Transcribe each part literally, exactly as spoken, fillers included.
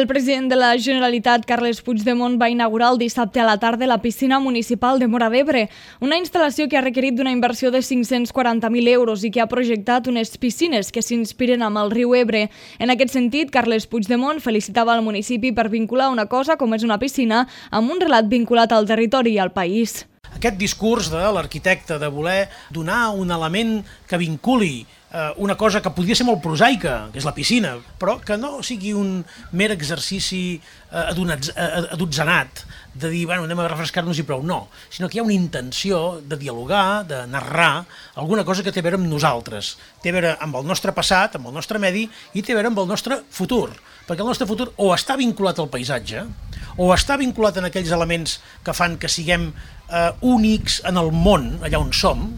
El president de la Generalitat, Carles Puigdemont, va inaugurar el dissabte a la tarda la piscina municipal de Móra d'Ebre, una instal·lació que ha requerit d'una inversió de cinc-cents quaranta mil euros i que ha projectat unes piscines que s'inspiren amb el riu Ebre. En aquest sentit, Carles Puigdemont felicitava el municipi per vincular una cosa com és una piscina amb un relat vinculat al territori i al país. Aquest discurs de l'arquitecte de voler donar un element que vinculi una cosa que podria ser molt prosaica, que és la piscina, però que no sigui un mer exercici adotzenat, de dir, bueno, anem a refrescar-nos i prou, no, sinó que hi ha una intenció de dialogar, de narrar alguna cosa que té a veure amb nosaltres, té a veure amb el nostre passat, amb el nostre medi i té a veure amb el nostre futur, perquè el nostre futur o està vinculat al paisatge, o està vinculat en aquells elements que fan que siguem eh, únics en el món, allà on som,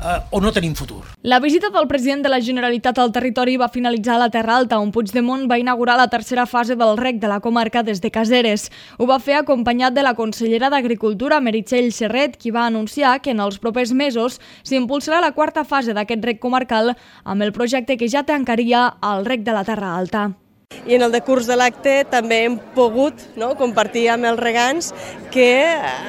eh, o no tenim futur. La visita del president de la Generalitat al territori va finalitzar a la Terra Alta, on Puigdemont va inaugurar la tercera fase del rec de la comarca des de Caseres. Ho va fer acompanyat de la consellera d'Agricultura, Meritxell Serret, qui va anunciar que en els propers mesos s'impulsarà la quarta fase d'aquest rec comarcal amb el projecte que ja tancaria el rec de la Terra Alta. I en el decurs de l'acte també hem pogut no, compartir amb els regants que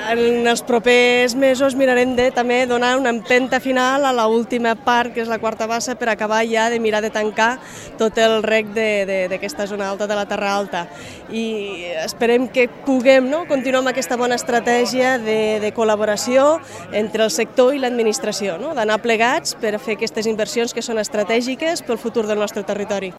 en els propers mesos mirarem de també donar una empenta final a l'última part, que és la quarta bassa, per acabar ja de mirar de tancar tot el rec d'aquesta zona alta de la Terra Alta. I esperem que puguem no, continuar amb aquesta bona estratègia de, de col·laboració entre el sector i l'administració, no? D'anar plegats per fer aquestes inversions que són estratègiques pel futur del nostre territori.